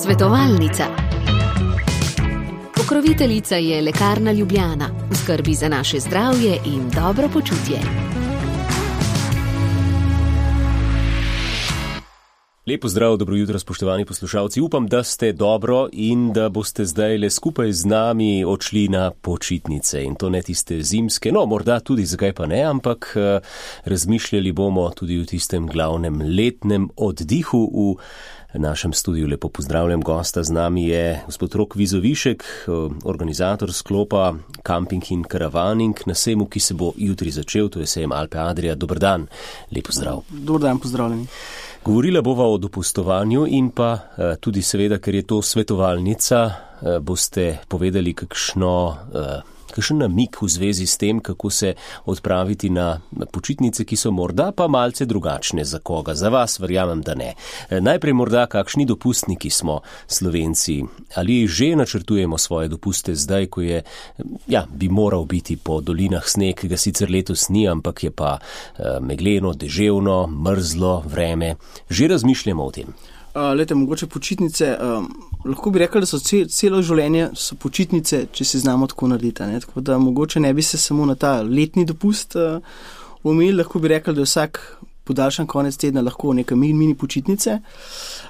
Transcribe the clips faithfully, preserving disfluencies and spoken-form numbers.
Svetovalnica. Pokroviteljica je Lekarna Ljubljana, v skrbi za naše zdravje in dobro počutje. Lepo zdrav, dobro jutro, spoštovani poslušalci. Upam, da ste dobro in da boste zdaj le skupaj z nami odšli na počitnice. In to ne tiste zimske, no morda tudi, zakaj pa ne, ampak razmišljali bomo tudi o tistem glavnem letnem oddihu. V našem studiu lepo pozdravljam gosta, z nami je gospod Rok Vizovišek, organizator sklopa Camping in Caravaning na sejmu, ki se bo jutri začel, to je sejem Alpe Adria. Dober dan, lepo zdrav. Dober dan, pozdravljeni. Govorila bova o dopustovanju in pa tudi seveda, ker je to svetovalnica, boste povedali kakšno, kakšen namik v zvezi s tem, kako se odpraviti na počitnice, ki so morda pa malce drugačne za koga. Za vas verjamem, da ne. Najprej morda kakšni dopustniki smo Slovenci. Ali že načrtujemo svoje dopuste zdaj, ko je, ja, bi moral biti po dolinah sneg, ki ga sicer letos ni, ampak je pa megleno, deževno, mrzlo vreme. Že razmišljamo o tem? Uh, lete, mogoče počitnice, um, lahko bi rekli, da so cel, celo življenje so počitnice, če se znamo tako narediti. Ne? Tako da mogoče ne bi se samo na ta letni dopust uh, omejili, lahko bi rekli, da je vsak podaljšan konec tedna lahko neka mini, mini počitnice.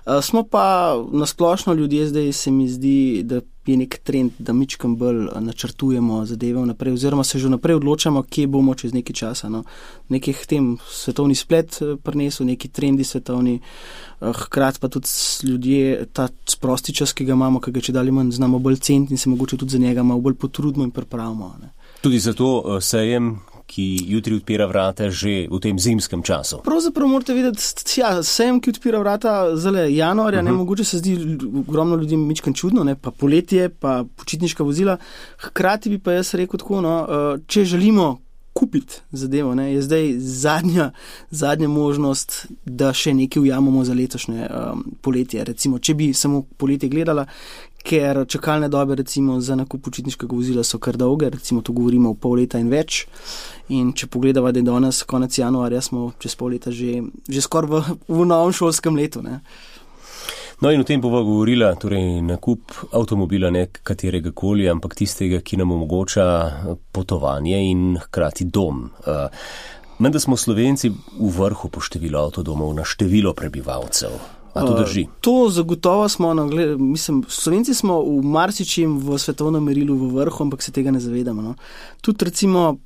Uh, smo pa nasplošno ljudje zdaj, se mi zdi, da je nek trend, da mičkam bolj načrtujemo zadeve vnaprej, oziroma se že vnaprej odločamo, kje bomo čez nekaj časa. No. Nekih tem svetovni splet prinesel, neki trendi svetovni, hkrati pa tudi ljudje ta sprosti čas, ki ga imamo, ki ga če dalje manj znamo bolj ceniti in se mogoče tudi za njega malo bolj potrudimo in pripravimo. Ne. Tudi zato sejem, ki jutri odpira vrata že v tem zimskem času. Pravzaprav morate videti, ja, sejem, ki odpira vrata zale januarja, uh-huh. ne, mogoče se zdi ogromno ljudem mičkan čudno, ne, pa poletje, pa počitniška vozila. Hkrati bi pa jaz rekel tako, no, če želimo kupiti zadevo, ne, je zdaj zadnja, zadnja možnost, da še nekaj ujamemo za letošnje um, poletje. Recimo, če bi samo poletje gledala, ker čakalne dobe recimo za nakup počitniškega vozila so kar dolge, recimo to govorimo v pol leta in več. In če pogledava, da je danes konec januarja, smo čez pol leta že, že skoraj v, v novem šolskem letu. Ne. No in o tem bova govorila, torej nakup avtomobila ne katerega koli, ampak tistega, ki nam omogoča potovanje in hkrati dom. Uh, menda smo Slovenci v vrhu po številu avtodomov na število prebivalcev. A to drži? Uh, to zagotovo smo, no, gled, mislim, Slovenci smo v marsičem v svetovnem merilu v vrhu, ampak se tega ne zavedamo. No. Tudi recimo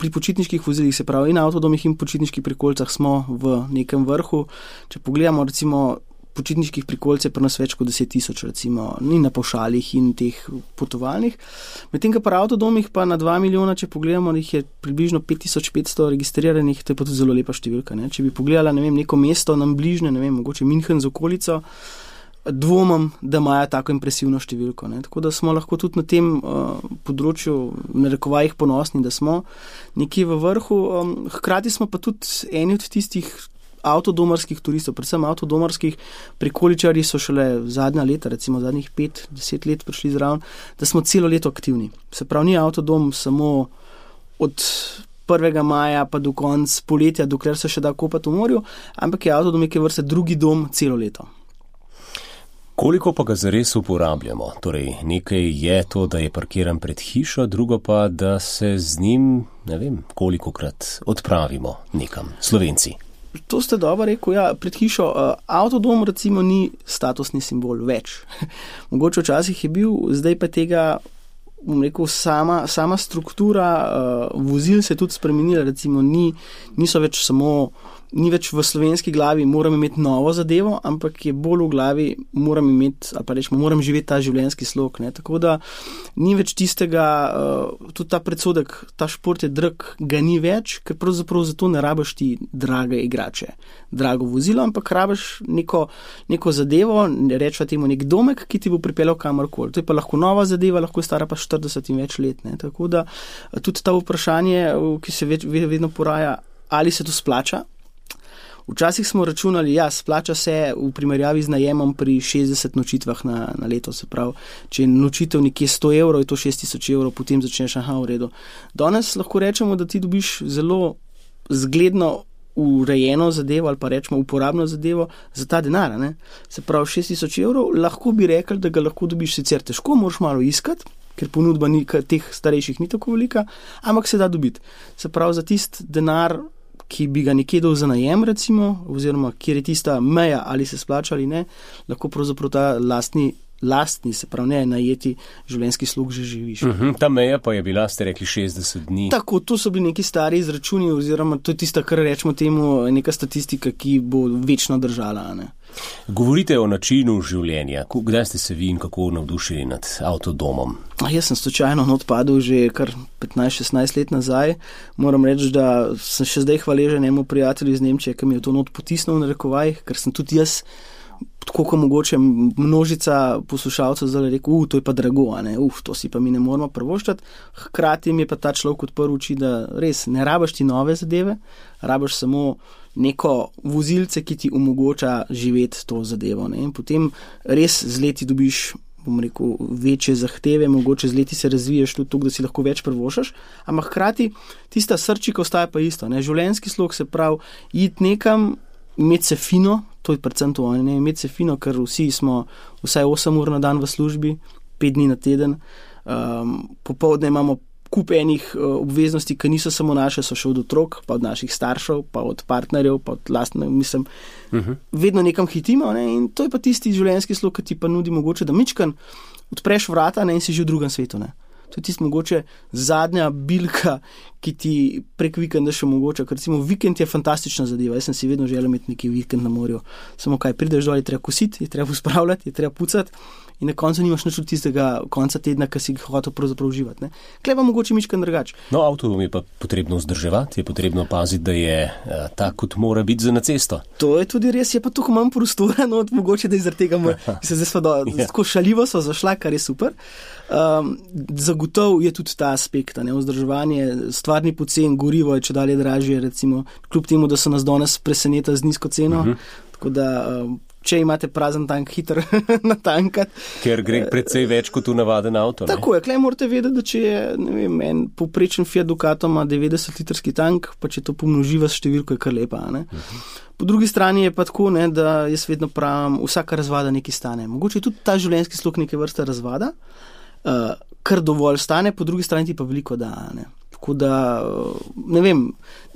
pri počitniških vozilih, se pravi in avtodomih in počitniških prikolica smo v nekem vrhu. Če pogledamo recimo počitniških prikolic je pri nas več kot deset tisoč, recimo, in na pavšalih in teh potovalnih. Medtem, ka pri avtodomih pa na dva milijona, če pogledamo, jih je približno pet tisoč petsto registriranih, to je pa tudi zelo lepa številka. Ne? Če bi pogledala, ne vem, neko mesto nam bližne, ne vem, mogoče München z okolico, dvomam, da imajo tako impresivno številko. Ne? Tako da smo lahko tudi na tem uh, področju v narekovajih ponosni, da smo nekje v vrhu. Um, hkrati smo pa tudi eni od tistih avtodomarskih turistov, predvsem avtodomarskih prikoličarji so šele zadnja leta, recimo zadnjih pet, deset let prišli zraven, da smo celo leto aktivni. Se pravi, ni avtodom samo od prvega maja pa do konca poletja, dokler se še da kopati v morju, ampak je avtodom neke vrste drugi dom celo leto. Koliko pa ga zares uporabljamo? Torej, nekaj je to, da je parkiran pred hišo, drugo pa, da se z njim, ne vem, kolikokrat odpravimo nekam, Slovenci. To ste dobro rekel, ja, pred hišo. Uh, avtodom recimo ni statusni simbol več. Mogoče včasih je bil, zdaj pa tega, bom rekel, sama, sama struktura uh, vozil se je tudi spremenila, recimo ni, niso več samo, ni več v slovenski glavi moram imeti novo zadevo, ampak je bolj v glavi moram imeti, ali pa rečemo, moram živeti ta življenjski slog. Ne? Tako da ni več tistega, uh, tudi ta predsodek, ta šport je drag, ga ni več, ker pravzaprav zato ne rabiš ti drage igrače, drago vozilo, ampak rabiš neko, neko zadevo, rečva temu nek domek, ki ti bo pripeljal kamorkoli. To je pa lahko nova zadeva, lahko je stara pa štirideset in več let. Ne? Tako da tudi ta vprašanje, ki se več, vedno poraja, ali se to splača. Včasih smo računali, ja, splača se v primerjavi z najemom pri šestdeset nočitvah na, na leto, se pravi, če je nočitev nekje sto evrov, je to šest tisoč evrov, potem začneš, aha, v redu. Danes lahko rečemo, da ti dobiš zelo zgledno urejeno zadevo ali pa rečemo uporabno zadevo za ta denar. Ne? Se pravi, šest tisoč evrov, lahko bi rekli, da ga lahko dobiš sicer težko, moraš malo iskati, ker ponudba ni, teh starejših ni tako velika, ampak se da dobiti. Se pravi, za tist denar, ki bi ga nekje dal za najem, recimo, oziroma kjer je tista meja, ali se splača ali ne, lahko pravzaprav ta lastni lastni, se pravi ne, najeti življenjski slog že živiš. Uh-huh. Ta meja pa je bila, ste rekli, šestdeset dni. Tako, to so bili neki stari izračuni, oziroma to je tista, kar rečemo temu, neka statistika, ki bo večno držala. Ne? Govorite o načinu življenja. Kdaj ste se vi in kako navdušili nad avtodomom? A jaz sem slučajno odpadel že kar petnajst šestnajst let nazaj. Moram reči, da sem še zdaj hvaležen enemu prijatelju iz Nemčije, ki mi je to not potisnil na rekovaj, ker sem tudi jaz tako kot mogoče množica poslušalcev zdaj rekel, uh, to je pa drago, a ne, uh, to si pa mi ne moramo prvoščati. Hkrati mi je pa ta človek odprl oči, da res ne rabiš ti nove zadeve, rabiš samo neko vozilce, ki ti omogoča živeti to zadevo. Ne. In potem res z leti dobiš, bom rekel, večje zahteve, mogoče z leti se razviješ tudi to, da si lahko več prvošaš, ampak hkrati tista srčika ostaja pa isto. Ne. Življenjski slog se pravi, iti nekam, imeti se fino, to je predvsem to, ne, imeti se fino, ker vsi smo vsaj osem ur na dan v službi, pet dni na teden, um, popoldne imamo kup enih uh, obveznosti, ki niso samo naše, so še od otrok, pa od naših staršev, pa od partnerjev, pa od lastne, mislim, uh-huh. vedno nekam hitimo, ne, in to je pa tisti življenjski slog, ki ti pa nudi mogoče, da mičkan odpreš vrata, ne, in si že v drugem svetu, ne. To je tisti mogoče zadnja bilka, ki ti prek vikenda še mogoče, ker recimo vikend je fantastična zadeva, jaz sem si vedno želel imeti neki vikend na morju, samo kaj, prideš dol, je treba kositi, je treba uspravljati, je treba pucati in na koncu nimaš nič od tistega konca tedna, ki si ga hotel pravzaprav uživati. Ne? Klej pa mogoče mičkan drugače. No, avto je pa potrebno vzdrževati, je potrebno paziti, da je uh, tak, kot mora biti za na cesto. To je tudi res, je pa tukaj manj prostora, no, mogoče, da iz tega mora, se zdaj sva do, yeah. tako šaljivo so zašla, kar je super. Um, zagotov je tudi ta aspekt, ne, vzdrževanje, stvarni pocen, gorivo je če dalje dražje, recimo, kljub temu, da so nas danes preseneta z nizko ceno, uh-huh. tako da, um, če imate prazen tank, hitro natankati. Ker gre precej več kot v navaden avto. Ne? Tako je, klej morate vedeti, da če je, ne vem, en poprečen Fiat Ducato ima devetdeset litrski tank, pa če to pomnoživa s številko, je kar lepa, ne. Uh-huh. Po drugi strani je pa tako, ne, da jaz vedno pravim, vsaka razvada nekaj stane. Mogoče je tudi ta življenjski slog neke vrste razvada, uh, kar dovolj stane, po drugi strani ti pa veliko da, ne. Tako da, ne vem,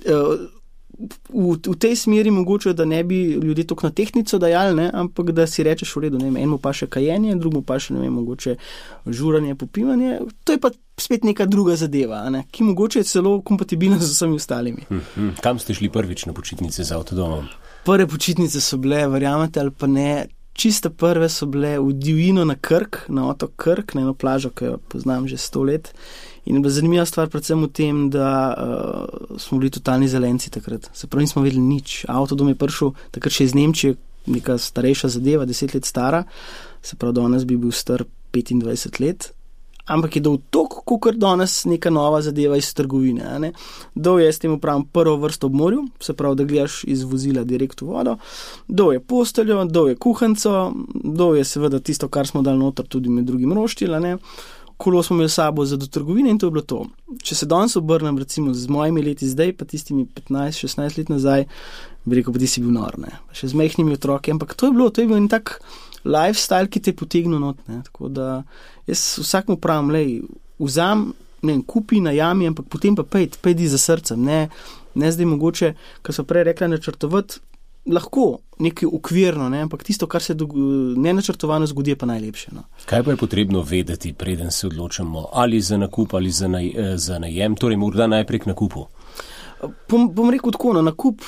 uh, V, v tej smeri mogoče, da ne bi ljudje toliko na tehnico dajali, ne, ampak da si rečeš v redu, ne vem, enemu pa še kajenje, drugemu pa še, ne vem, mogoče žuranje, popivanje, to je pa spet neka druga zadeva, ne, ki mogoče je celo kompatibilna z vsemi ostalimi. Hmm, kam ste šli prvič na počitnice z avtodomom? Prve počitnice so bile, verjamete ali pa ne, čiste prve so bile v divjino na Krk, na otok Krk, na eno plažo, ki jo poznam že sto let. In zanimiva stvar predvsem v tem, da uh, smo bili totalni zelenci takrat. Se pravi, nismo vedeli nič. Avtodom je prišel takrat še iz Nemčije, neka starejša zadeva, deset let stara. Se pravi, danes bi bil star petindvajset let. Ampak je dal toliko, kot danes neka nova zadeva iz trgovine. Ne? Dal je, s tem upravim, prvo vrsto ob morju, se pravi, da gledaš iz vozila direkt v vodo. Dal je posteljo, dal je kuhanco, dal je seveda tisto, kar smo dali noter, tudi med drugim roštilj, ne. Kolo smo imeli sabo za do trgovine in to je bilo to. Če se danes obrnem recimo z mojimi leti zdaj, pa tistimi petnajst šestnajst let nazaj, bi rekel, pa ti si bil nor, ne. Še z majhnimi otroki, ampak to je bilo, to je bil en tak lifestyle, ki te je potegnil not, ne. Tako da jaz vsakmu pravim, lej, vzam, ne vem, kupi, najami, ampak potem pa pejdi, pejdi za srcem, ne, ne zdaj mogoče, kar so prej rekla, načrtovati, lahko nekaj okvirno, ne, ampak tisto, kar se nenačrtovano zgodi, je pa najlepše. No. Kaj pa je potrebno vedeti, preden se odločamo ali za nakup ali za, naj, za najem, torej morda najprej k nakupu? Bom, bom rekel tako, na nakup,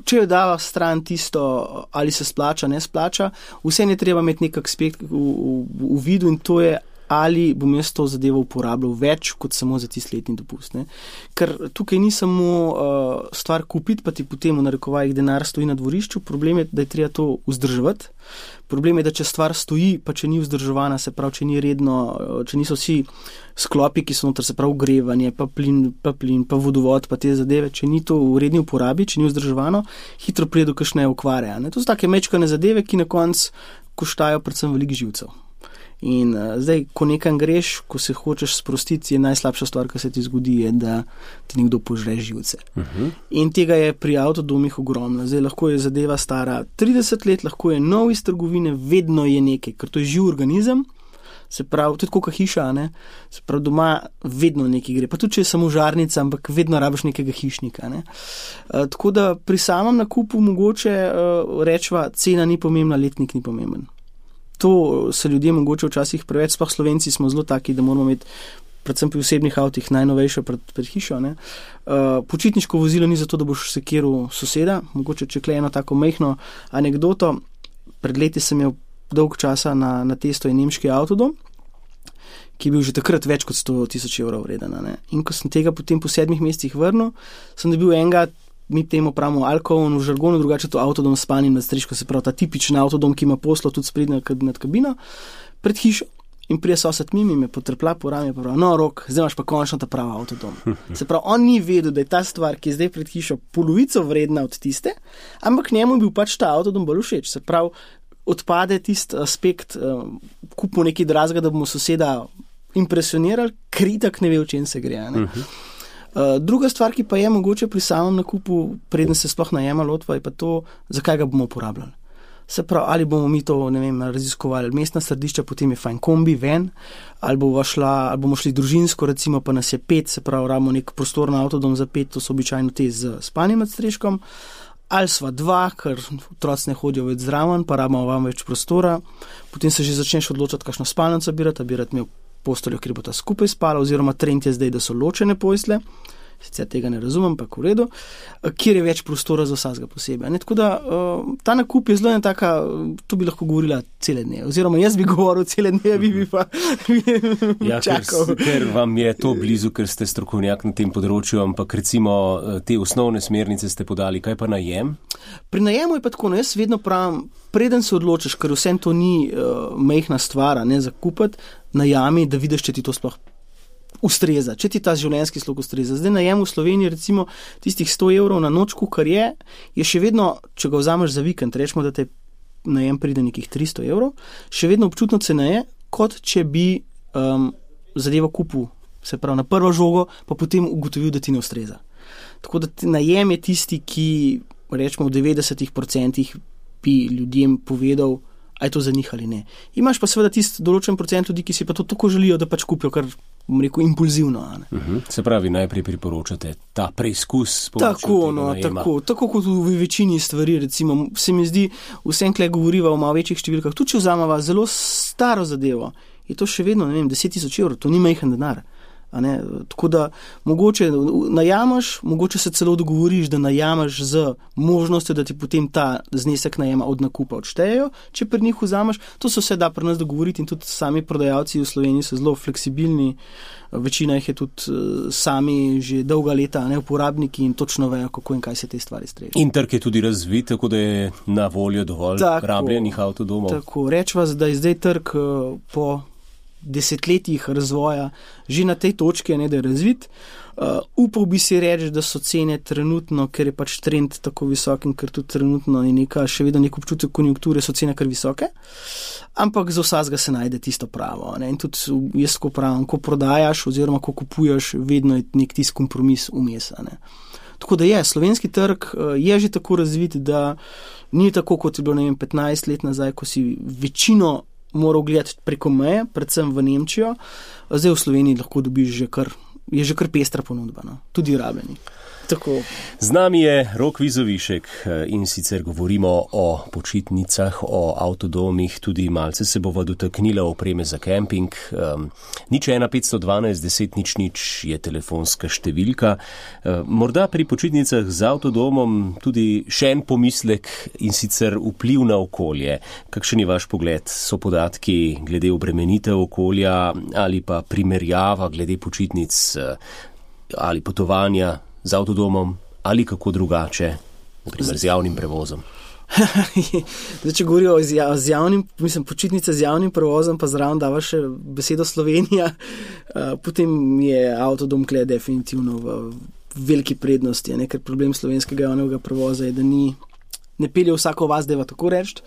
če jo dava stran tisto, ali se splača, ne splača, vse ne treba imeti nek aspekt v, v, v vidu in to je, ali bom jaz to zadevo uporabljal več kot samo za tisti letni dopust. Ne? Ker tukaj ni samo uh, stvar kupiti, pa ti potem v narekovajih denar stoji na dvorišču, problem je, da je treba to vzdrževati. Problem je, da če stvar stoji, pa če ni vzdrževana, se pravi, če ni redno, če niso vsi sklopi, ki so noter, se pravi ogrevanje, pa plin, pa plin, pa vodovod, pa te zadeve, če ni to v redni uporabi, če ni vzdrževano, hitro pride do kakšne okvare. Ne? To so take mečkane zadeve, ki na koncu koštajo predvsem veliko živcev. In uh, zdaj, ko nekam greš, ko se hočeš sprostiti, je najslabša stvar, ki se ti zgodi, je, da ti nekdo požre živce. Uh-huh. In tega je pri avtodomih ogromno. Zdaj, lahko je zadeva stara trideset let, lahko je nov iz trgovine, vedno je nekaj, ker to je živ organizem, se pravi, tudi kot hiša, ne? Se pravi, doma vedno nekaj gre. Pa tudi, če je samo žarnica, ampak vedno rabiš nekega hišnika. Ne? Uh, tako da pri samem nakupu mogoče uh, rečva, cena ni pomembna, letnik ni pomemben. To se ljudje mogoče včasih preveč, sploh Slovenci smo zelo taki, da moramo imeti predvsem pri osebnih avtih najnovejše pred, pred hišo. Ne? Uh, počitniško vozilo ni zato, da boš sekiral soseda, mogoče če kle eno tako majhno anekdoto. Pred leti sem imel dolg časa na, na testo je nemški avtodom, ki je bil že takrat več kot sto tisoč evrov vreden. Ne? In ko sem tega potem po sedmih mesecih vrnil, sem dobil enega, mi temu pravimo alkohol v žargonu, drugače to avtodom s spalnim nadstreškom, se pravi ta tipičen avtodom, ki ima poslo tudi sprednjo nad kabino, pred hišo. In prije sosed mimi me potrpla po rami, pa pravi, no, Rok, zdaj imaš pa končno ta prava avtodom. Se pravi, on ni vedel, da je ta stvar, ki je zdaj pred hišo, polovico vredna od tiste, ampak njemu je bil pač ta avtodom bolj všeč. Se pravi, odpade tisti aspekt, uh, kupimo nekaj dragega, da bomo soseda impresionirali, kritak ne ve, o čem se gre. Ne? Uh-huh. Uh, druga stvar, ki pa je mogoče pri samem nakupu, preden se sploh najema lotva, je pa to, zakaj ga bomo uporabljali. Se pravi, ali bomo mi to, ne vem, raziskovali mestna središča, potem je fajn kombi ven, ali bomo, šla, ali bomo šli družinsko, recimo pa nas je pet, se pravi, rabimo nek prostorno avtodom za pet, to so običajno te z spalnim nadstreškom, ali sva dva, ker otroci ne hodijo več zraven, pa rabimo vam več prostora, potem se že začneš odločati, kakšno spalnico bi rad, a bi rad imel posteljo, kjer bo ta skupaj spala, oziroma trend je zdaj, da so ločene postelje, sicer tega ne razumem, pa v redu, kjer je več prostora za vsakega posebej. Ne, tako da ta nakup je zelo ena taka, to bi lahko govorila cele dneve, oziroma jaz bi govoril cele dneve, vi bi pa ja, čakal. Ker, ker vam je to blizu, ker ste strokovnjak na tem področju, ampak recimo te osnovne smernice ste podali, kaj pa najem? Pri najemu je pa tako, no, jaz vedno pravim, preden se odločiš, ker vsem to ni uh, majhna stvar, ne, za kupiti, najami, da vidiš, če ti to sploh ustreza, če ti ta življenjski slog ustreza. Zdaj najem v Sloveniji recimo tistih sto evrov na noč, kar je, je še vedno, če ga vzameš za vikend, rečemo, da te najem pride nekih tristo evrov, še vedno občutno ceneje, kot če bi um, zadevo kupil, se pravi na prvo žogo, pa potem ugotovil, da ti ne ustreza. Tako da najem je tisti, ki rečemo v devetdesetih procentih bi ljudem povedal, a je to za njih ali ne. Imaš pa seveda tisti določen procent ljudi, ki si pa to tako želijo, da pač kupijo, kar bom rekel, impulzivno. Uh-huh. Se pravi, najprej priporočate ta preizkus. Tako, no, tako, tako kot v večini stvari, recimo, se mi zdi, vsem kle govoriva o malo večjih številkah, tudi če vzameva zelo staro zadevo, je to še vedno, ne vem, deset tisoč evrov, to ni majhen denar. A ne? Tako da mogoče najamaš, mogoče se celo dogovoriš, da najamaš z možnostjo, da ti potem ta znesek najema od nakupa odštejejo, če pri njih vzameš. To se vse da pri nas dogovoriti in tudi sami prodajalci v Sloveniji so zelo fleksibilni. Večina jih je tudi sami že dolga leta, ne, uporabniki in točno vejo, kako in kaj se te stvari streže. In trg je tudi razvit, tako da je na voljo dovolj tako, rabljenih avtodomov. Tako, rečva, da je zdaj trg po desetletjih razvoja že na tej točki, ne, da je razvit. Uh, upal bi si reči, da so cene trenutno, ker je pač trend tako visok in ker tudi trenutno je neka, še vedno nek občutek konjunkture, so cene kar visoke, ampak za vsakega se najde tisto pravo. Ne? In tudi jaz ko pravim, ko prodajaš oziroma ko kupuješ, vedno je nek tisti kompromis vmes. Tako da je, slovenski trg je že tako razvit, da ni tako, kot je bilo, ne vem, petnajst let nazaj, ko si večino moral gledati preko meje, predvsem v Nemčijo. Zdaj v Sloveniji lahko dobiš že kar, je že kar pestra ponudba, no? Tudi rabljeni. Tako. Z nami je Rok Vizovišek in sicer govorimo o počitnicah, o avtodomih, tudi malce se bova dotaknila opreme za kemping. Um, nič ena petsto dvanajst deset nič nič je telefonska številka. Um, morda pri počitnicah z avtodomom tudi še en pomislek in sicer vpliv na okolje. Kakšen je vaš pogled? So podatki glede obremenitev okolja ali pa primerjava glede počitnic ali potovanja z avtodomom ali kako drugače, naprimer z javnim prevozom? Zdaj, če govorijo z, z javnim, mislim, počitnice z javnim prevozom, pa zraven dava še besedo Slovenija, uh, potem je avtodom kle definitivno v veliki prednosti, ne? Ker problem slovenskega javnega prevoza je, da ni ne pelje vsako vas, deva tako reči,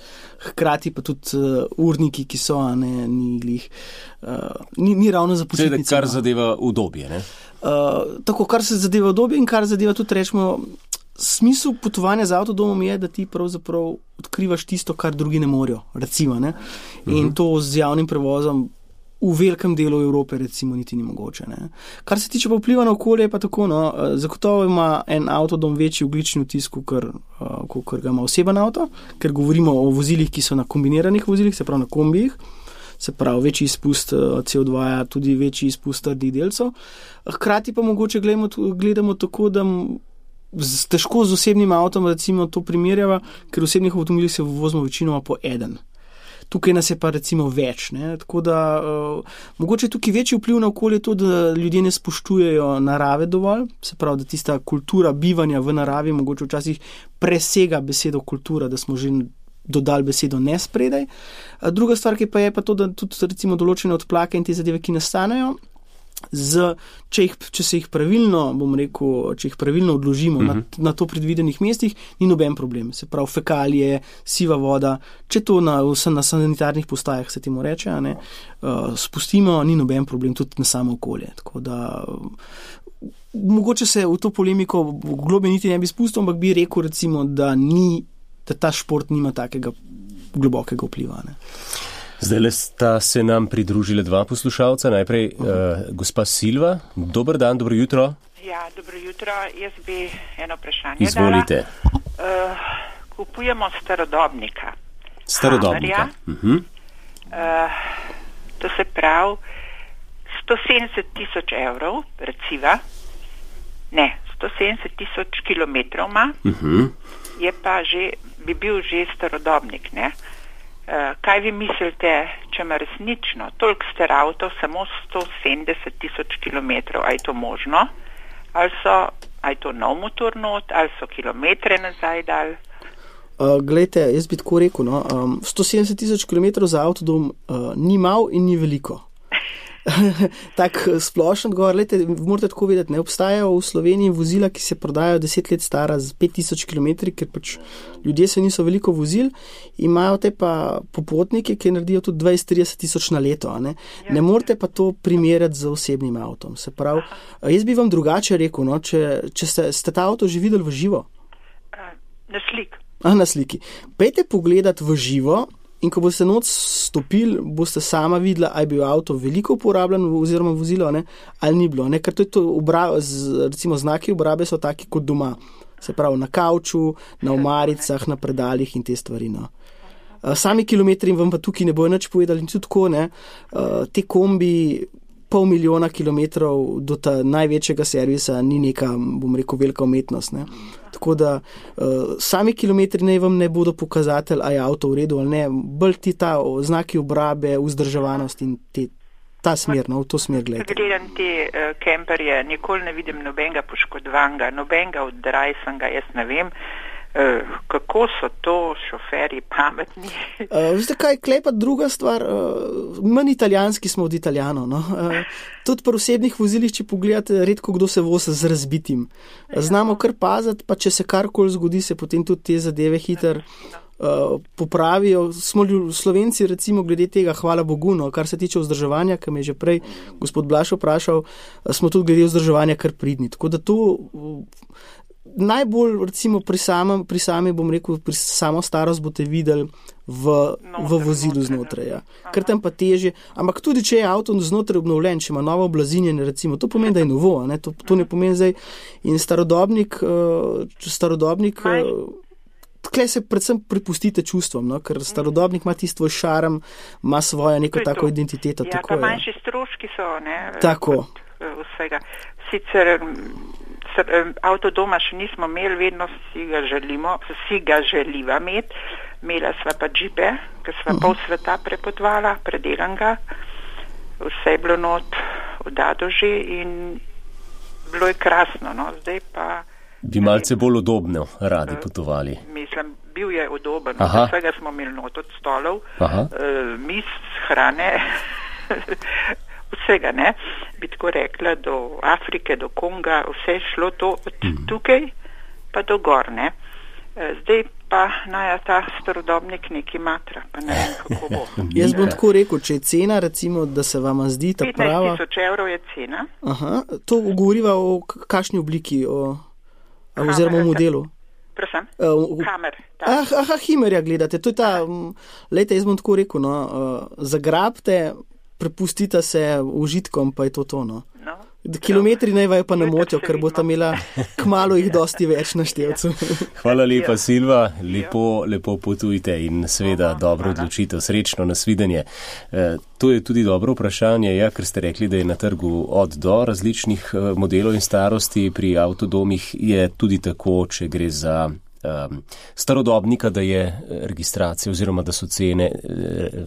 hkrati pa tudi uh, urniki, ki so, a ne, ni glih, uh, ni, ni ravno za počitnice. Seveda, kar zadeva udobje, ne? Uh, tako, kar se zadeva udobje in kar zadeva tudi, rečemo, smisel potovanja z avtodomom je, da ti pravzaprav odkrivaš tisto, kar drugi ne morejo, recimo, ne? In uh-huh. to z javnim prevozom v velikem delu Evrope recimo niti ni mogoče. Ne? Kar se tiče pa vpliva na okolje, je pa tako, no, zagotovo ima en avtodom večji ogljični odtis, kot ga ima oseben avto, ker govorimo o vozilih, ki so na kombiniranih vozilih, se pravi na kombijih, se pravi večji izpust C O dva, tudi večji izpust trdih delcev. Hkrati pa mogoče gledamo, gledamo tako, da z, težko z osebnim avtom recimo to primerjava, ker v osebnih avtomobilih se vozimo večinoma po eden. Tukaj nas je pa recimo več, ne? Tako da uh, mogoče tukaj večji vpliv na okolje to, da ljudje ne spoštujejo narave dovolj, se pravi, da tista kultura bivanja v naravi mogoče včasih presega besedo kultura, da smo že dodali besedo ne spredaj. Uh, druga stvar, ki pa je pa to, da tudi recimo določene odplake in te zadeve, ki nastanejo, Z, če, jih, če se jih pravilno, bom rekel, če jih pravilno odložimo uh-huh. na, na to predvidenih mestih, ni noben problem. Se pravi, fekalije, siva voda, če to na, na sanitarnih postajah se temu reče, a ne, uh, spustimo, ni noben problem tudi na samo okolje. Tako da, mogoče se v to polemiko v globe niti ne bi spustil, ampak bi rekel recimo, da, ni, da ta šport nima takega globokega vpliva. Ne. Zdaj sta se nam pridružile dva poslušalca. Najprej uh, gospa Silva. Dober dan, dobro jutro. Ja, dobro jutro. Jaz bi eno vprašanje Izvolite. dala. Uh, kupujemo starodobnika. Starodobnika. Uh-huh. Uh, to se pravi sto sedemdeset tisoč evrov, reciva. Ne, sto sedemdeset tisoč kilometrov ima. Uh-huh. Je pa že, bi bil že starodobnik, ne? Uh, kaj vi mislite, če ima resnično toliko star avto, samo sto sedemdeset tisoč kilometrov, a je to možno? Ali so, a je to nov motor not, ali so kilometre nazaj dal? Uh, glejte, jaz bi tako rekel, no, um, sto sedemdeset tisoč kilometrov za avtodom uh, ni mal in ni veliko. Tak splošen govor, lejte, morate tako vedeti, ne obstajajo v Sloveniji vozila, ki se prodajajo deset let stara z pet tisoč kilometri, ker pač ljudje se niso veliko vozili, imajo te pa popotnike, ki naredijo tudi dvajset trideset tisoč na leto, ne? Ne morate pa to primerjati z osebnim avtom. Se pravi, jaz bi vam drugače rekel, no, če, če ste, ste ta avto že videli v živo? Na slik. A, na sliki. Pejte pogledati v živo, in ko boste noč stopili, boste sama videla, ali je bil avto veliko uporabljen oziroma vozilo, ne, ali ni bilo. Ne, ker to je to, obra, z, recimo znaki obrabe so taki kot doma. Se pravi, na kavču, na omaricah, na predalih in te stvari. No. Sami kilometri vam pa tukaj ne bojo nič povedali in tudi tako, ne, te kombi pol milijona kilometrov do ta največjega servisa ni neka, bom rekel, velika umetnost. Ne. Tako da uh, sami kilometri naj vam ne bodo pokazatelj, a je avto v redu ali ne, bolj ti ta znaki obrabe, vzdrževanost in te, ta smer, no, v to smer gledate. Gledam te uh, kemperje, nikoli ne vidim nobenega poškodvanga, nobenega oddrajsanga, jaz ne vem, uh, kako so to šoferji pametni. uh, Veste kaj, klepa druga stvar, uh, manj italijanski smo od Italijanov, no. Uh, Tudi pri osebnih vozilih, če pogledate, redko kdo se vozi z razbitim. Znamo kar paziti, pa če se karkoli zgodi, se potem tudi te zadeve hiter uh, popravijo. Smo Slovenci recimo glede tega, hvala Bogu, no, kar se tiče vzdrževanja, ki me je že prej gospod Blaž vprašal, smo tudi glede vzdrževanja kar pridni. Tako da to uh, najbolj recimo pri samem, pri sami, bom rekel, pri samo starost boste videli v, v vozilu znotraj. Ja. Ker tam pa težje, ampak tudi če je avto znotraj obnovljen, če ima novo oblazinjenje, recimo, to pomeni, da je novo, ne? To, to ne pomeni zdaj. In starodobnik, uh, starodobnik uh, tkle se predvsem pripustite čustvom, no? Ker starodobnik ima tisti svoj šarm, ima svojo neko tako identiteto. Ja, tako, pa manjši ja. stroški so, ne? Tako. Vsega. Sicer avtodoma še nismo imeli, vedno si ga želimo, si ga želiva imeti. Imela sva pa džipe, ker sva uh-huh. pol sveta prepotvala, predelan ga, vse je bilo not odado že in bilo je krasno, no, zdaj pa... Bi malce bolj udobno radi potovali. Mislim, bil je udoben, vsega smo imeli not od stolov, uh, mis, hrane, vsega, ne, bi tako rekla, do Afrike, do Konga, vse je šlo to od tukaj pa do gor, ne. Zdaj pa naj ta starodobnik neki matra, pa ne vem, kako bo. Jaz bom tako rekel, če je cena, recimo, da se vama zdi ta prava... petnajst tisoč evrov je cena. Aha, to govoriva o kakšni obliki, o, oziroma o modelu. Prosim, uh, Hammer. Ah, aha, Himerja gledate, to je ta, lejte, jaz bom tako rekel, no, uh, zagrabte, prepustite se užitkom, pa je to to, no. no Kilometri naj vaju pa ne motijo, ker bo ta imela kmalu jih dosti več na števcu. Hvala lepa, Silva, lepo, lepo potujte in seveda dobro odločitev, srečno nasvidenje. E, to je tudi dobro vprašanje, ja, ker ste rekli, da je na trgu od do različnih modelov in starosti, pri avtodomih je tudi tako, če gre za um, starodobnika, da je registracija oziroma da so cene,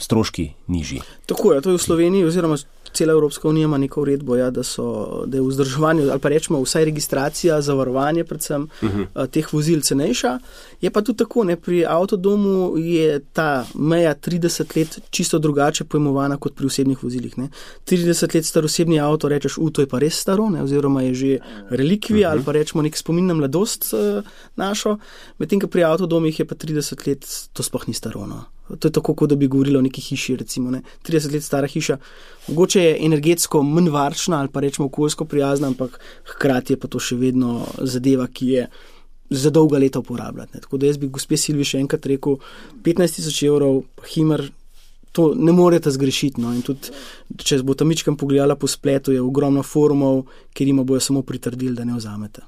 stroški nižji. Tako je, to je v Sloveniji oziroma cela Evropska unija ima neko uredbo, ja, da, so, da je v vzdrževanju, ali pa rečemo vsaj registracija, zavarovanje predvsem uh-huh. teh vozil cenejša. Je pa tudi tako, ne, pri avtodomu je ta meja trideset let čisto drugače pojmovana kot pri osebnih vozilih. Ne. trideset let star osebni avto, rečeš, u, to je pa res staro, ne, oziroma je že relikvija uh-huh. ali pa rečemo nek spomin na mladost uh, našo, medtem, ko pri avtodomih je pa trideset let, to sploh ni staro, no. To je tako, kot da bi govorili o neki hiši, recimo, ne. trideset let stara hiša. Mogoče je energetsko manj varčna ali pa rečemo okoljsko prijazna, ampak hkrati je pa to še vedno zadeva, ki je za dolga leta uporabljati. Ne. Tako da jaz bi gospe Silvi še enkrat rekel, petnajst tisoč evrov, Himer, to ne morete zgrešiti. No. In tudi, če bo tam mičkam pogledala po spletu, je ogromno forumov, kjer ima bojo samo pritrdili, da ne vzamete.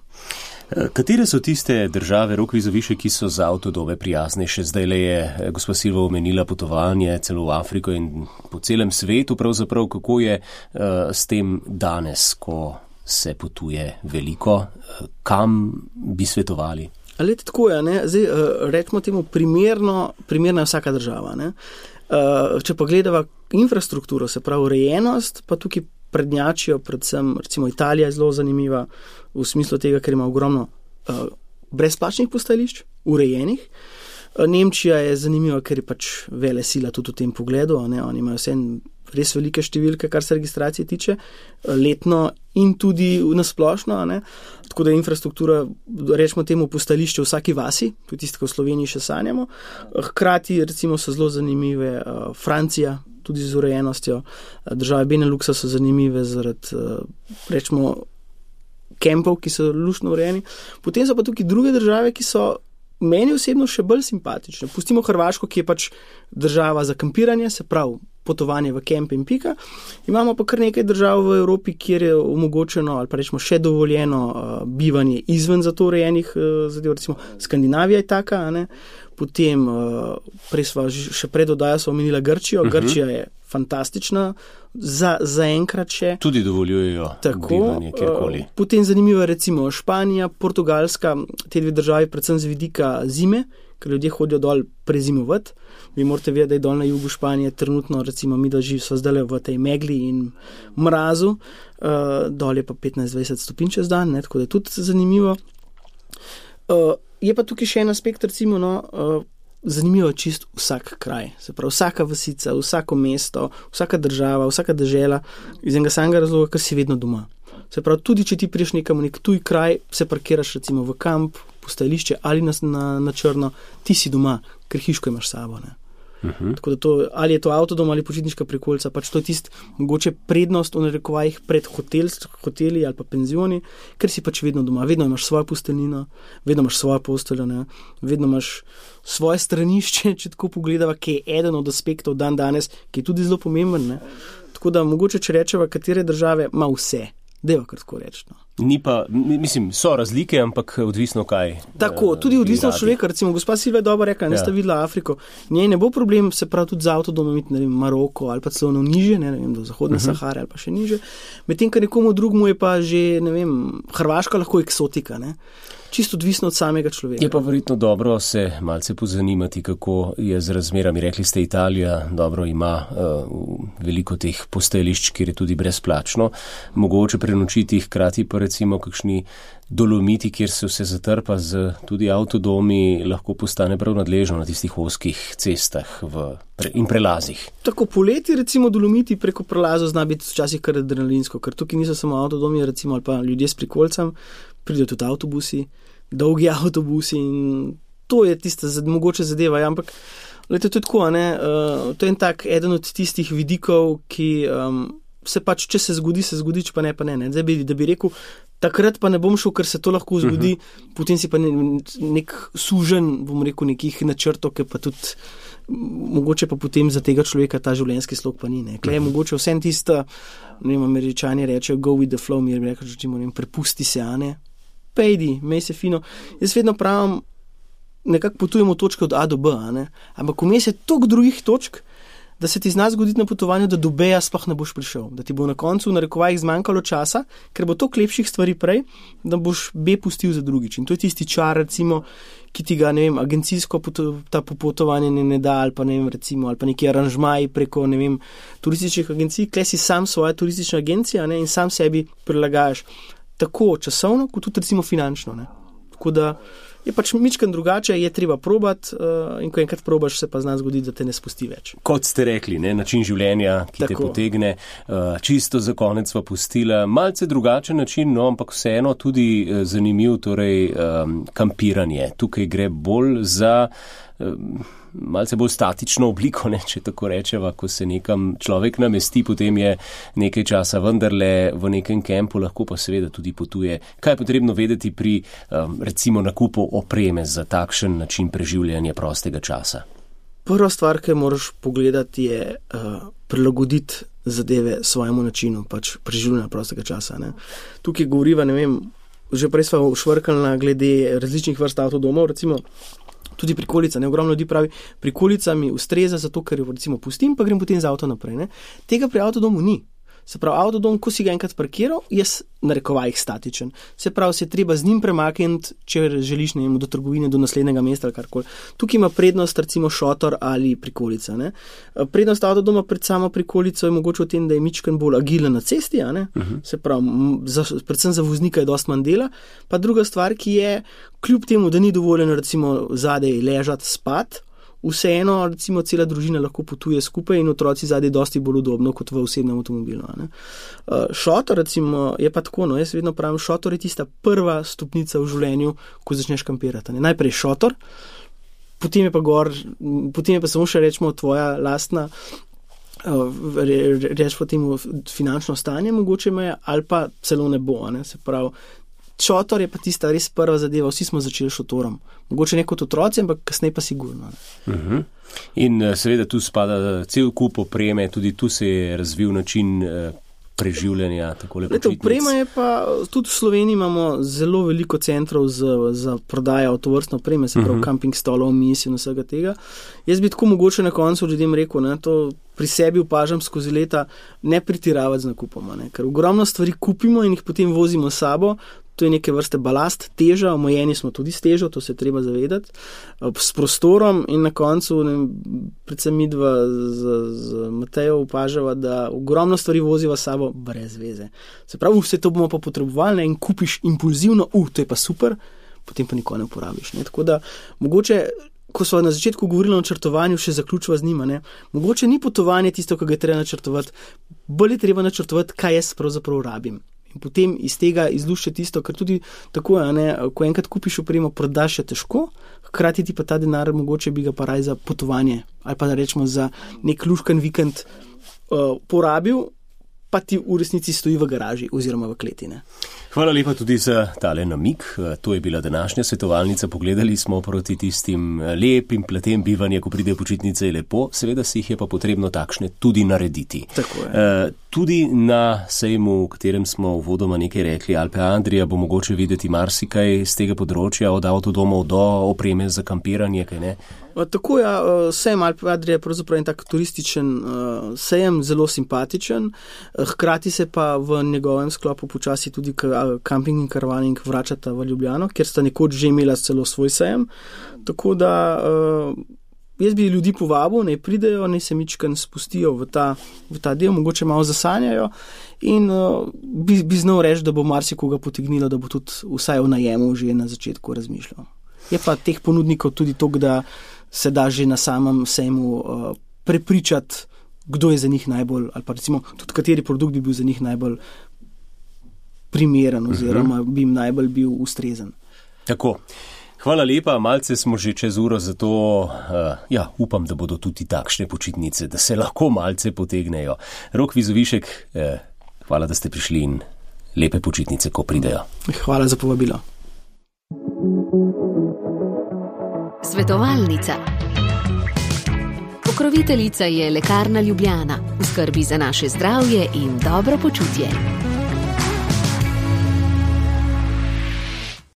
Katere so tiste države, Rok Vizovišek, ki so za avtodome prijaznejše? Zdaj le je gospa Silva omenila potovanje celo v Afriko in po celem svetu, pravzaprav kako je uh, s tem danes, ko se potuje veliko, uh, kam bi svetovali? Lete, tako je, ne? Zdaj, uh, rečemo temu primerno, primerna je vsaka država. Ne? Uh, če pa gledava infrastrukturo, se pravi urejenost, pa tukaj prednjačijo, predvsem recimo Italija je zelo zanimiva v smislu tega, ker ima ogromno uh, brezplačnih postajališč, urejenih. Uh, Nemčija je zanimiva, ker je pač vele sila tudi v tem pogledu, ne? Oni imajo vse res velike številke, kar se registracije tiče, uh, letno in tudi nasplošno, ne? Tako da je infrastruktura, rečemo temu, postajališče v vsaki vasi, tudi tisto, ko v Sloveniji še sanjamo. Hkrati recimo so zelo zanimive uh, Francija, tudi z urejenostjo. Države Beneluxa so zanimive zaradi, rečemo, kempov, ki so luštno urejeni. Potem so pa tukaj druge države, ki so meni osebno še bolj simpatične. Pustimo Hrvaško, ki je pač država za kampiranje, se pravi potovanje v kemp in pika. Imamo pa kar nekaj držav v Evropi, kjer je omogočeno ali pa rečemo še dovoljeno uh, bivanje izven za to urejenih uh, zadev, recimo Skandinavija je taka, a ne? Potem, uh, prej sva še pred oddajo sva omenila Grčijo. Uh-huh. Grčija je fantastična, za, za enkrat še. Tudi dovoljujejo tako, bivanje kjerkoli. Uh, potem zanimivo je recimo Španija, Portugalska, te dve državi predvsem z vidika zime, ker ljudje hodijo dol prezimovati. Vi morate vedeti, da je dol na jugu Španije trenutno, recimo mi da živ so zdaj v tej megli in mrazu, uh, dol je pa petnajst dvajset stopinj čez dan, ne, tako da je tudi zanimivo. Uh, je pa tukaj še en aspekt, recimo, no, uh, zanimivo je čist vsak kraj, se pravi vsaka vasica, vsako mesto, vsaka država, vsaka dežela, iz enega samega razloga, ker si vedno doma. Se pravi, tudi če ti priješ nekam v nek tuj kraj, se parkiraš recimo v kamp, postajališče ali na, na, na črno, ti si doma, ker hiško imaš sabo, ne. Uh-huh. Tako da to, ali je to avtodom ali počitniška prikolica, pač to je tist mogoče prednost v narekovajih pred hotel, hoteli ali pa penzioni, ker si pač vedno doma, vedno imaš svojo posteljnino, vedno imaš svojo posteljo, ne? Vedno imaš svoje stranišče, če tako pogledava, ki je eden od aspektov dan danes, ki je tudi zelo pomemben, ne? Tako da mogoče, če rečeva, katere države ima vse, deva kar tako reči, no. Ni pa, mislim, so razlike, ampak odvisno kaj. Tako, tudi odvisno od človeka. Recimo, gospa Silva je dobro rekla, ne ja. Sta videla Afriko. Njej ne bo problem, se pravi tudi za avtodomom iti, ne vem, Maroko ali pa celo niže, ne vem, do zahodne uh-huh. Sahare ali pa še niže. Medtem, ker nekomu drugmu je pa že, ne vem, Hrvaška lahko eksotika, ne. Čisto odvisno od samega človeka. Je pa verjetno dobro se malce pozanimati, kako je z razmerami. Rekli ste, Italija dobro ima uh, veliko teh postajališč, kjer je tudi brezplačno. Mogoče prenočiti, hkrati pa recimo kakšni Dolomiti, kjer se vse zatrpa z tudi avtodomi, lahko postane prav nadležno na tistih ozkih cestah v pre, in prelazih. Tako poleti recimo Dolomiti preko prelazov zna biti včasih kar adrenalinsko, ker tukaj niso samo avtodomi, recimo ali pa ljudje s prikolcem, pridejo tudi avtobusi, dolgi avtobusi in to je tista mogoče zadeva, ja, ampak lejte, to je tako, ne, uh, to je en tak, eden od tistih vidikov, ki um, se pač, če se zgodi, se zgodi, če pa ne, pa ne, ne. Zdaj bi, da bi rekel, takrat pa ne bom šel, ker se to lahko zgodi, uh-huh. potem si pa ne, nek sužen, bom rekel, nekih načrtov, ki pa tudi mogoče pa potem za tega človeka ta življenjski slog pa ni, ne. Klej je mogoče vsem tista, ne vem, Američani rečejo go with the flow, mi je rekel, že ne vem, prepusti se, a ne, pejdi, mej se fino. Jaz vedno pravim, nekako potujemo točke od A do B, a ne, ampak vmes je toliko drugih točk, da se ti zna zgoditi na potovanju, da do B-ja sploh ne boš prišel, da ti bo na koncu v narekovajih zmanjkalo časa, ker bo toliko lepših stvari prej, da boš B pustil za drugič. In to je tisti čar, recimo, ki ti ga, ne vem, agencijsko ta popotovanje ne, ne da, ali pa ne vem, recimo, ali pa neki aranžmaji preko, ne vem, turističnih agencij, kle si sam svoja turistična agencija, ne, in sam sebi prilagajaš tako časovno, kot tudi recimo finančno, ne. Tako da je pač mičken drugače, je treba probati uh, in ko enkrat probaš, se pa zna zgoditi, da te ne spusti več. Kot ste rekli, ne, način življenja, ki Tako. te potegne, uh, čisto za konec sva pustila, malce drugačen način, no, ampak vseeno tudi uh, zanimiv, torej um, kampiranje. Tukaj gre bolj za um, malce bolj statično obliko, ne, če tako rečeva, ko se nekam človek namesti, potem je nekaj časa vendarle v nekem kempu, lahko pa seveda tudi potuje. Kaj je potrebno vedeti pri um, recimo nakupu opreme za takšen način preživljanja prostega časa? Prva stvar, ki moraš pogledati, je uh, prilagoditi zadeve svojemu načinu pač preživljanja prostega časa. Ne. Tukaj govoriva, ne vem, že prej sva švrkala glede različnih vrst avtodomov, recimo tudi prikolica, ne, ogromno ljudi pravi, prikolica mi ustreza zato, ker jo recimo pustim, pa grem potem z avto naprej, ne. Tega pri avtodomu ni. Se pravi, avtodom, ko si ga enkrat parkiral, je narekovajih statičen. Se pravi, se treba z njim premakniti, če želiš, ne vem, do trgovine, do naslednjega mesta ali karkoli. Tukaj ima prednost recimo šotor ali prikolica, ne. Prednost avtodoma pred samo prikolico je mogoče v tem, da je mičken bolj agilen na cesti, a ne. Uh-huh. Se pravi, za, predvsem za voznika je dosti manj dela. Pa druga stvar, ki je, kljub temu, da ni dovoljeno recimo zadaj ležati, spati, vseeno, recimo, cela družina lahko potuje skupaj in otroci zadaj dosti bolj udobno kot v osebnem avtomobilu. Ne? Uh, šotor, recimo, je pa tako, no, jaz vedno pravim, šotor je tista prva stopnica v življenju, ko začneš kampirati. Ne? Najprej šotor, potem je pa gor, potem je pa samo še, rečemo, tvoja lastna, uh, re, reč po temu finančno stanje, mogoče me, ali pa celo ne bo, ne? Se pravi, šotor je pa tista res prva zadeva, vsi smo začeli šotorom. Mogoče ne kot otroci, ampak kasneje pa sigurno. Uh-huh. In seveda tu spada cel kup opreme, tudi tu se je razvil način preživljanja, takole počitnic. Oprema je pa, tudi v Sloveniji imamo zelo veliko centrov za, za prodajo tovrstne opreme, se pravi uh-huh. camping stolov, mis in vsega tega. Jaz bi tako mogoče na koncu ljudem rekel, ne, to pri sebi opažam skozi leta, ne pretiravati z nakupoma, ne, ker ogromno stvari kupimo in jih potem vozimo s sabo. To je neke vrste balast, teža, omejeni smo tudi s težo, to se je treba zavedati, s prostorom in na koncu, ne, predvsem mi dva z, z Matejo opažava, da ogromno stvari voziva s sabo brez veze. Se pravi, vse to bomo pa potrebovali, ne, in kupiš impulzivno, uh, to je pa super, potem pa nikoli ne uporabiš. Ne. Tako da, mogoče, ko smo na začetku govorili o načrtovanju, še zaključila z njima, ne, mogoče ni potovanje tisto, ko ga je treba načrtovati, bolj je treba načrtovati, kaj jaz pravzaprav rabim. In potem iz tega izlušče tisto, ker tudi tako je, ne, ko enkrat kupiš opremo, prodaš je težko, hkrati ti pa ta denar mogoče bi ga pa raj za potovanje ali pa da rečemo za nek luškan vikend uh, porabil, pa ti v resnici stoji v garaži oziroma v kletine. Hvala lepa tudi za tale namik. To je bila današnja svetovalnica. Pogledali smo proti tistim lepim platem bivanja, ko pride počitnice, je lepo. Seveda si jih je pa potrebno takšne tudi narediti. Tako je. Uh, tudi na sejmu, v katerem smo uvodoma nekaj rekli, Alpe Adria, bo mogoče videti marsikaj z tega področja, od avtodomov do opreme za kampiranje, kaj ne? Tako je, sejem Alpe Adria je pravzaprav en tak turističen sejem, zelo simpatičen, hkrati se pa v njegovem sklopu počasi tudi camping in karavaning vračata v Ljubljano, kjer sta nekoč že imela celo svoj sejem, tako da jaz bi ljudi povabil, naj pridejo, naj se mičken spustijo v ta, v ta del, mogoče malo zasanjajo in bi, bi znal reči, da bo marsikoga potegnilo, da bo tudi vsaj o najemu že na začetku razmišljal. Je pa teh ponudnikov tudi toliko, da se da že na samem sejmu uh, prepričati, kdo je za njih najbolj, ali pa recimo tudi kateri produkt bi bil za njih najbolj primeren oziroma bi jim najbolj bil ustrezen. Tako. Hvala lepa, malce smo že čez uro, zato uh, ja, upam, da bodo tudi takšne počitnice, da se lahko malce potegnejo. Rok Vizovišek, eh, hvala, da ste prišli in lepe počitnice, ko pridejo. Hvala za povabilo. Svetovalnica. Pokroviteljica je Lekarna Ljubljana, v skrbi za naše zdravje in dobro počutje.